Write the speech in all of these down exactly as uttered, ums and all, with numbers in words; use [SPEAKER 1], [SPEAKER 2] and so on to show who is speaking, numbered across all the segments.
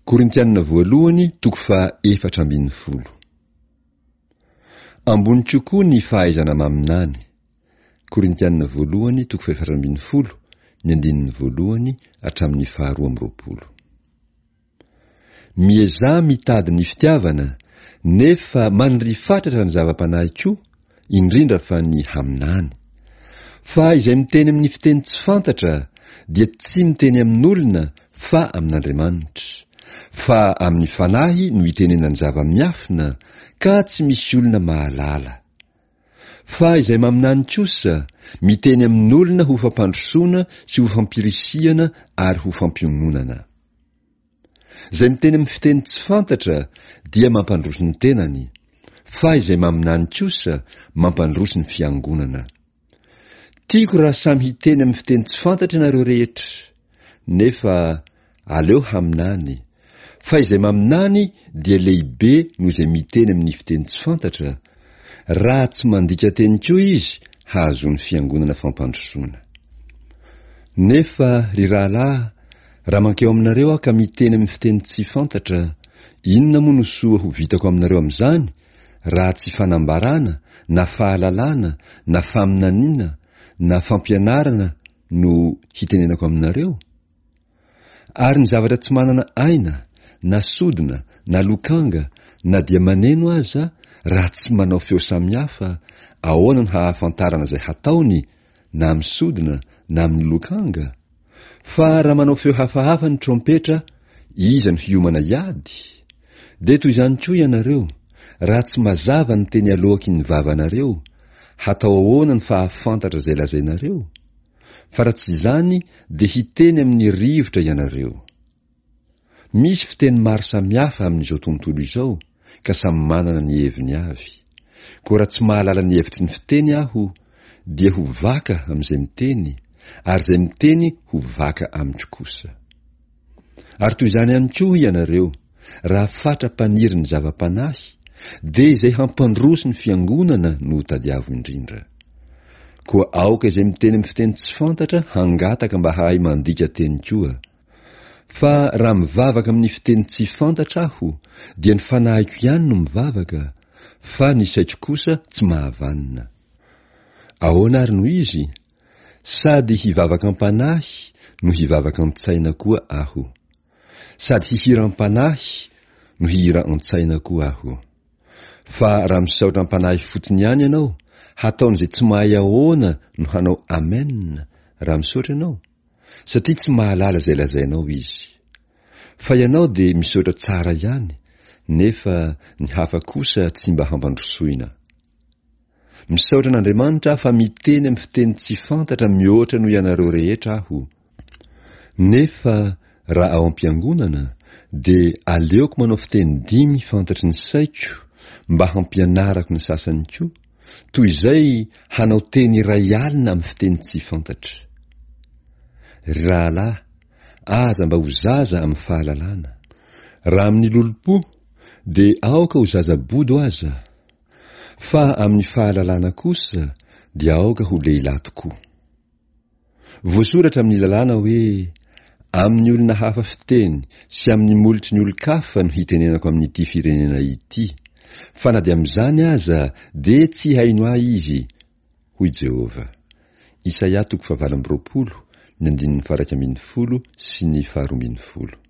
[SPEAKER 1] Korintianina voalohany toko faha efatra ambin'ny folo. Ambony kokoa ny fahaizana maminany. Korintianina voalohany toko fahefatra ambin'ny folo, ny andininy voalohany hatramin'ny faharoa amby roapolo. Miezaha mitady ny fitiavana, nefa maniria fatratra ny zava-panahy koa, indrindra fa ny haminany. Fa izay miteny amin'ny fiteny tsy fantatra dia tsy miteny amin'olona fa amin'Andriamanitra. Fa amin'ny fanahy no itenenany zava-miafina, ka tsy misy olona mahalala. Fa izay maminany kosa, miteny amin'olona ho fampandrosoana sy ho fampirisihana ary ho fampiononana. Izay miteny amin'ny fiteny tsy fantatra dia mampandroso ny tenany, fa izay maminany kosa mampandroso ny fiangonana. Tiako raha samy hiteny amin'ny fiteny tsy fantatra ianareo rehetra, nefa aleo haminany, fa izay maminany dia lehibe noho izay miteny amin'ny fiteny tsy fantatra, raha tsy mandika teny koa izy hahazoan'ny fiangonana fampandrosoana. Nefa, ry rahalahy, raha mankeo aminareo aho ka miteny amin'ny fiteny tsy fantatra, inona moa no soa ho vitako aminareo amin'izany, raha tsy fanambarana, na fahalalana, na faminaniana, na fampianarana no hitenenako aminareo? Ary ny zavatra tsy manana aina, na sodina, na lokanga, na dia maneno aza, raha tsy manao feo samihafa, ahoana no hahafantarana izay hataony, na amin'ny sodina, na amin'ny lokanga? Fa raha manao feo hafahafa ny trompetra, iza no hiomana hiady? Dia toy izany koa ianareo, raha tsy mazava ny teny aloaky ny vavanareo, hatao ahoana ny fahafantatra izay lazainareo? Fa raha tsy izany dia hiteny amin'ny rivotra ianareo. Misy fiteny maro samihafa amin'izao tontolo izao, ka samy manana ny heviny avy. Koa raha tsy mahalala ny hevitry ny fiteny aho, dia ho vaka amin'izay miteny, ary izay miteny ho vaka amiko kosa. Ary toy izany ihany koa ianareo, raha fatra-paniry ny zava-panahy, dia izay hampandroso ny fiangonana no tadiavo indrindra. Koa aoka izay miteny amin'ny fiteny tsy fantatra hangataka mba hahay mandika teny koa. Fa raha mivavaka amin'ny fiteny tsy fantatra aho, dia ny fanahiko ihany no mivavaka, fa ny saiko kosa tsy mahavanona. Ahoana ary no izy? Sady hivavaka am-panahy no hivavaka an-tsaina koa aho. Sady hihira am-panahy no hihira an-tsaina koa aho. Fa raha misaotra am-panahy fotsiny ihany ianao, hataon'izay tsy mahay ahoana no hanao amen raha misaotra ianao? Satria tsy mahalala izay lazainao izy. Fa ianao dia misaotra tsara ihany, nefa ny hafa kosa tsy mba hampandrosoina. Misaotra an'Andriamanitra aho fa miteny amin'ny fiteny tsy fantatra mihoatra noho ianareo rehetra aho. Nefa raha ao am-piangonana, dia aleoko manao fiteny dimy fantatry ny saiko mba hampianarako ny sasany koa, toy izay hanao teny iray alina amin'ny fiteny tsy fantatra. Ry rahalahy, aza mba ho zaza amin'ny fahalalana. Raha amin'ny lolompo, dia aoka ho zaza bodo aza. Fa amin'ny fahalalana kosa dia aoka ho lehilahy tokoa. Voasoratra amin'ny lalàna hoe, Amin'ny olona hafa fiteny sy amin'ny molotry ny olon-kafa no hitenenako amin'ity firenena ity, fa na dia amin'izany aza dia tsy haino ahy izy, hoy Jehovah. Isaia toko fahavalo amby roapolo, ny andininy faha-iraika ambin'ny folo sy ny faharoa ambin'ny folo.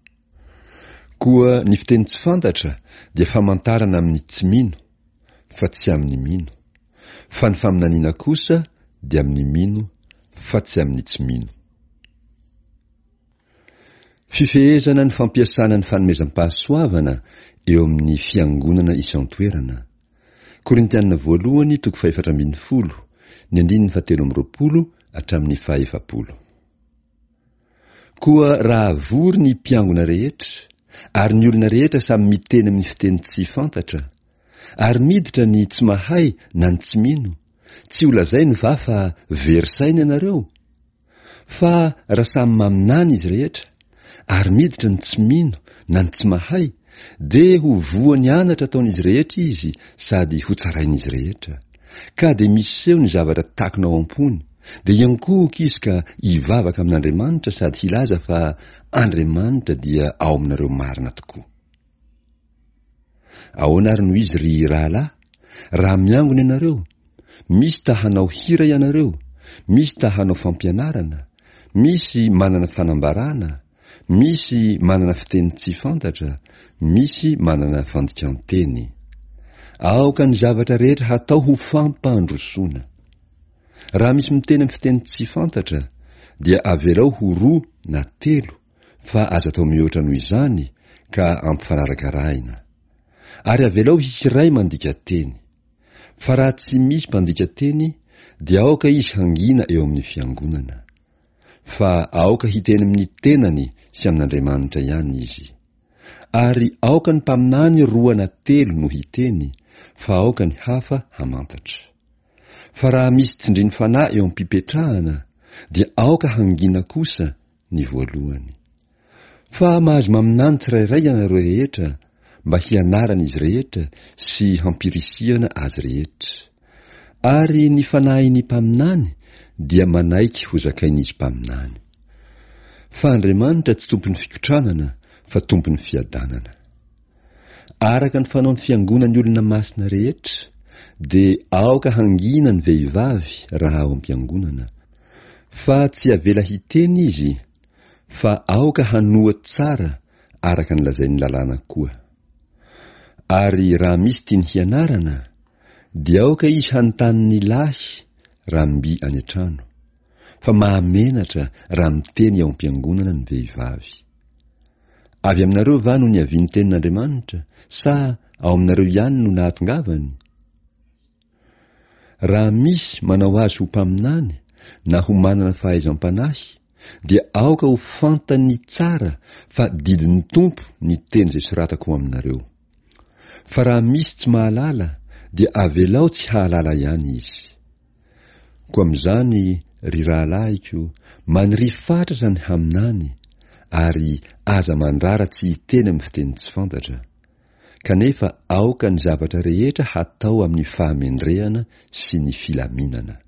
[SPEAKER 1] Koa ny fiteny tsy fantatra dia famantarana amin'ny tsy mino, fa tsy amin'ny mino. Fa ny faminaniana kosa dia amin'ny mino, fa tsy amin'ny tsy mino. Fifehezana ny fampiasana ny fanomezam-pahasoavana eo amin'ny fiangonana isan-toerana. Korintiana voalohany toko fahefatra ambin'ny folo, ny andininy fahatelo amby roapolo hatramin'ny fahaefapolo. Koa raha vory ny mpiangona rehetra, ary ny olona rehetra samy miteny amin'ny fiteny tsy fantatra, ary miditra ny tsy mahay na ny tsy mino, tsy ho lazainy va fa very saina ianareo? Fa raha samy maminany izy rehetra, ary miditra ny tsy mino na ny tsy mahay, dia ho voan'ny anatra ataon'izy rehetra izy sady hotsarain'izy rehetra. Ka dia miseho ny zavatra takona ao am-pony, Dia hiankohoka izy ka hivavaka amin'Andriamanitra sady hilaza fa Andriamanitra dia ao aminareo marina tokoa. Ahoana ary no izy ry rahalahy? Raha miangona ianareo, misy ta hanao hira ianareo, misy ta hanao fampianarana, misy manana fanambarana, misy manana fiteny tsy fantatra, misy manana fandikan-teny. Aoka ny zavatra rehetra hatao ho fampandrosoana. Raha misy miteny amin'ny fiteny tsy fantatra, dia avelao ho roa na telo, fa aza atao mihoatra noho izany ka ampifanarakarahina. Ary avelao hisy iray mandika teny. Fa raha tsy misy mpandika teny, dia aoka izy hangina eo amin'ny fiangonana. Fa aoka hiteny amin'ny tenany sy amin'Andriamanitra ihany izy. Ary aoka ny mpaminany roa na telo no hiteny, fa aoka ny hafa hamantatra. Fa raha misy tsindrin'ny fanahy eo am-pipetrahana, dia aoka hangina kosa ny voalohany. Fa mahazo maminany tsirairay ianareo rehetra, mba hianaran'izy rehetra sy hampirisihana azy rehetra. Ary ny fanahin'ny mpaminany dia manaiky ho zakain'izy mpaminany. Fa Andriamanitra tsy tompon'ny fikotranana fa tompon'ny fiadanana. Araka ny fanaon'ny fiangonan'ny olona masina rehetra, dia aoka hangina ny vehivavy raha ao am-piangonana. Fa tsy avela hiteny izy, fa aoka hanoa tsara araka ny lazain'ny lalàna koa. Ary raha misy tiany hianarana, dia aoka izy hanontany ny lahy raha mby any an-trano, fa mahamenatra raha miteny ao am-piangonana ny vehivavy. Avy aminareo va no niavian'ny tenin'Andriamanitra, sa ao aminareo ihany no nahatongavany? Raha misy manao azy ho mpaminany na ho manana fahaizam-panahy, dia aoka ho fantany tsara fa didin'ny Tompo ny teny izay soratako ho aminareo. Fa raha misy tsy mahalala, dia avelao tsy hahalala ihany izy. Koa amin'izany, ry rahalahiko, maniria fatratra ny haminany, ary aza mandrara tsy hiteny amin'ny fiteny tsy fantatra. Kanefa aoka ny zavatra rehetra hatao amin'ny fahamendrehana sy ny filaminana.